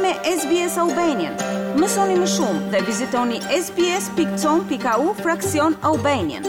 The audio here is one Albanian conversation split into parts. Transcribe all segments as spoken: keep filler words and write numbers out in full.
me S B S Albanian. Mësoni më shumë dhe vizitoni S B S pikë com pikë A U fraksion Albanian.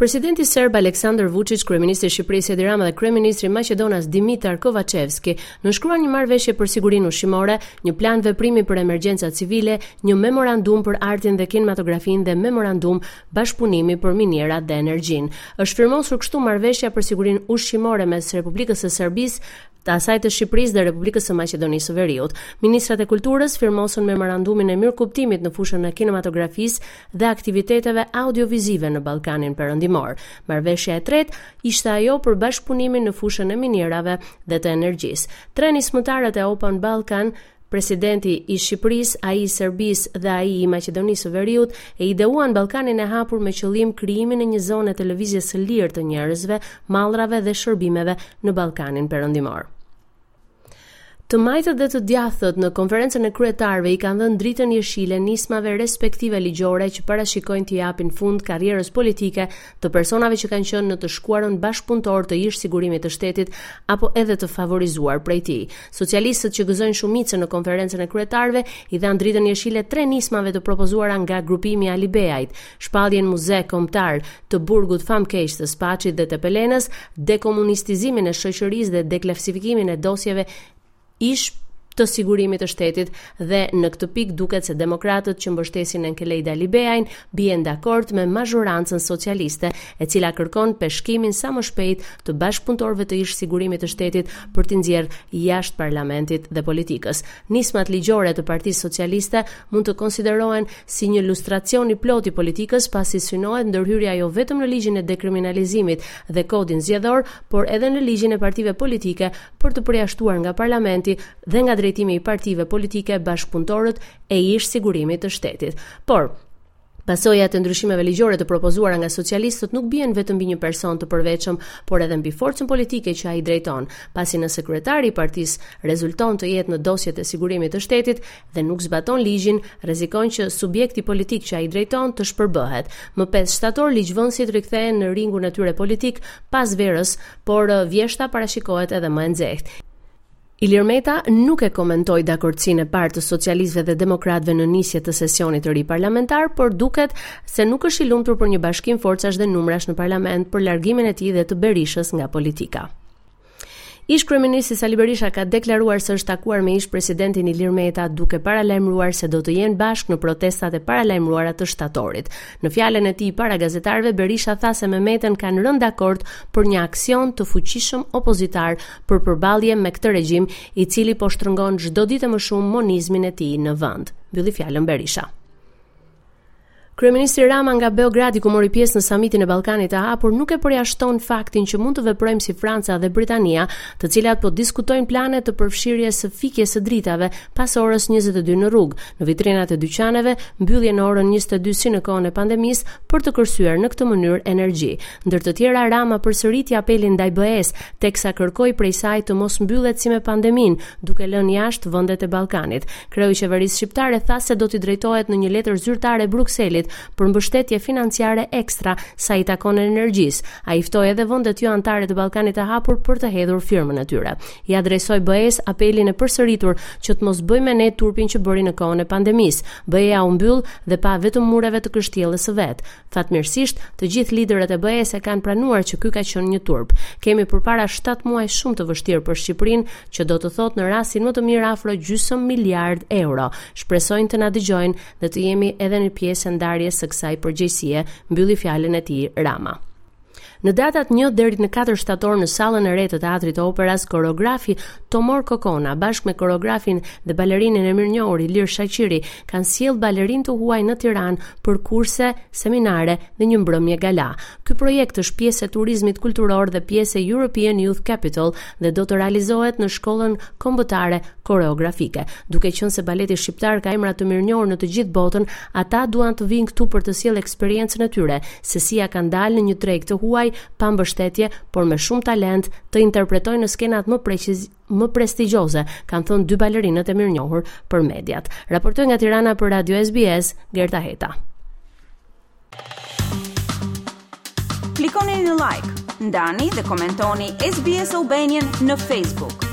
Presidenti serb Aleksandar Vučić, kryeministri i Shqipërisë Edi Rama dhe kryeministri maqedonas Dimitar Kovačevski nënshkruan një marrëveshje për sigurinë ushqimore, një plan veprimi për emergjencat civile, një memorandum për artin dhe kinematografinë dhe memorandum bashkëpunimi për minierat dhe energjinë. Është firmosur kështu marrëveshja për sigurinë ushqimore mes Republikës së Serbisë, të asaj të Shqipërisë dhe Republikës së Maqedonisë së Veriut. Ministrat e Kulturës firmosën memorandumin e mirëkuptimit në fushën e kinematografisë dhe aktiviteteve audiovizive në Ballkanin Perëndimor. Marrëveshja e tretë ishte ajo për bashkëpunimin në fushën e minierave dhe të energjisë. Tre nismëtarët e Open Balkan, presidenti i Shqipërisë, ai i Serbisë dhe ai i Maqedonisë së Veriut, e ideuan Ballkanin e Hapur me qëllim krijimin e një zone të lëvizjes së lirë të njerëzve, mallrave dhe shërbimeve në Ballkanin Perëndimor. Të majtët dhe të djathtët në konferencën e kryetarëve i kanë dhënë dritën jeshile nismave respektive ligjore që parashikojnë t'i japin fund karrierës politike të personave që kanë qenë në të shkuarën bashkëpunëtor të ish sigurimit të shtetit apo edhe të favorizuar prej tij. Socialistët, që gëzojnë shumicën në konferencën e kryetarëve, i dhanë dritën jeshile tre nismave të propozuara nga grupimi Alibeajt: shpalljen muze kombëtar të burgut famkeq të Spaçit dhe të Tepelenës, dekomunistizimin e shoqërisë dhe deklasifikimin e dosjeve ish të sigurimit të shtetit. Dhe në këtë pikë duket se demokratët, që mbështesin Enkelejd Alibeajn, bien dakord me mazhorancën socialiste, e cila kërkon peshkimin sa më shpejt të bashkëpunëtorëve të ish sigurimit të shtetit për t'i nxjerrë jashtë parlamentit dhe politikës. Nismat ligjore të Partisë Socialiste mund të konsiderohen si një lustracion i plotë i politikës, pasi synohet ndërhyrja jo vetëm në ligjin e dekriminalizimit dhe kodin zgjedhor, por edhe në ligjin e partive politike për të përjashtuar nga parlamenti dhe nga drejtimi i partive politike bashkëpunëtorët e ish sigurimit të shtetit. Por pasojat e ndryshimeve ligjore të propozuara nga socialistët nuk bien vetëm mbi një person të përveçëm, por edhe mbi forcën politike që ai drejton, pasi nëse kryetari i partisë rezulton të jetë në dosjet e sigurimit të shtetit dhe nuk zbaton ligjin, rrezikon që subjekti politik që ai drejton të shpërbëhet. Më pesë shtator ligjvënësit rikthehen në ringun e tyre politik pas verës, por vjeshta parashikohet edhe më e nxehtë. Ilir Meta nuk e komentoi dakordsinë e parë të socialistëve dhe demokratëve në nisje të sesionit të ri parlamentar, por duket se nuk është i lumtur për një bashkim forcash dhe numrash në parlament për largimin e tij dhe të Berishës nga politika. Ish kryeministri Sali Berisha ka deklaruar se është takuar me ish presidentin Ilir Meta, duke paralajmëruar se do të jenë bashkë në protestat e paralajmëruara të shtatorit. Në fjalën e tij para gazetarëve, Berisha tha se me Metën kanë rënë dakord për një aksion të fuqishëm opozitar për përballje me këtë regjim, i cili po shtrëngon çdo ditë më shumë monizmin e tij në vend. Mbylli fjalën Berisha. Kryeministri Rama nga Beogradi, ku mori pjesë në samitin e Ballkanit të Hapur, nuk e përjashton faktin që mund të veprojmë si Franca dhe Britania, të cilat po diskutojnë plane të përfshirjes së fikjes së dritave pas orës njëzet e dy në rrugë, në vitrinat e dyqaneve, mbyllje në orën njëzet e dy si në kohën e pandemisë, për të kursyer në këtë mënyrë energji. Ndër të tjera, Rama përsëriti apelin ndaj B E-s, teksa kërkoi prej saj të mos mbyllet si me pandeminë, duke lënë jashtë vendet e Ballkanit. Kreu i qeverisë shqiptare tha se do t'i drejtohet në një letër zyrtare Brukselit për mbështetje financiare ekstra sa i takon energjisë. Ai ftoi edhe vendet jo anëtare të Ballkanit të Hapur për të hedhur firmën e tyre. I adresoi B E-s apelin e përsëritur që të mos bëjë me ne turpin që bëri në kohën e pandemisë. B E-ja u mbyll dhe pa vetëm mureve të kështjellës së vet. Fatmirësisht, të gjithë liderët e B E-s e kanë pranuar që ky ka qenë një turp. Kemi përpara shtatë muaj shumë të vështirë për Shqipërinë, që do të thotë në rastin më të mirë afro gjysmë miliard euro. Shpresojnë të na dëgjojnë dhe të jemi edhe në pjesë e ndarjes së kësaj përgjegjësie, mbylli fjalën e tij Rama. Në datat një deri në katër shtator në sallën e re të Teatrit të Operas, koreografi Tomor Kokona bashkë me koreografin dhe balerinin e mirënjohur Ilir Shaqiri kanë sjellë balerinë të huaj në Tiranë për kurse, seminare dhe një mbrëmje gala. Ky projekt është pjesë e turizmit kulturor dhe pjesë e European Youth Capital dhe do të realizohet në Shkollën Kombëtare Koreografike. Duke qenë se baleti shqiptar ka emra të mirënjohur në të gjithë botën, ata duan të vinë këtu për të sjellë eksperiencën e tyre, se si ja kanë dalë në një treg të huaj pa mbështetje, por me shumë talent, të interpretojnë në skenat më preciz më prestigjioze, kanë thënë dy balerinët e mirënjohur për mediat. Raportoi nga Tirana për Radio S B S, Gerta Heta. Klikoni në like, Ndani dhe komentoni S B S Albanian në Facebook.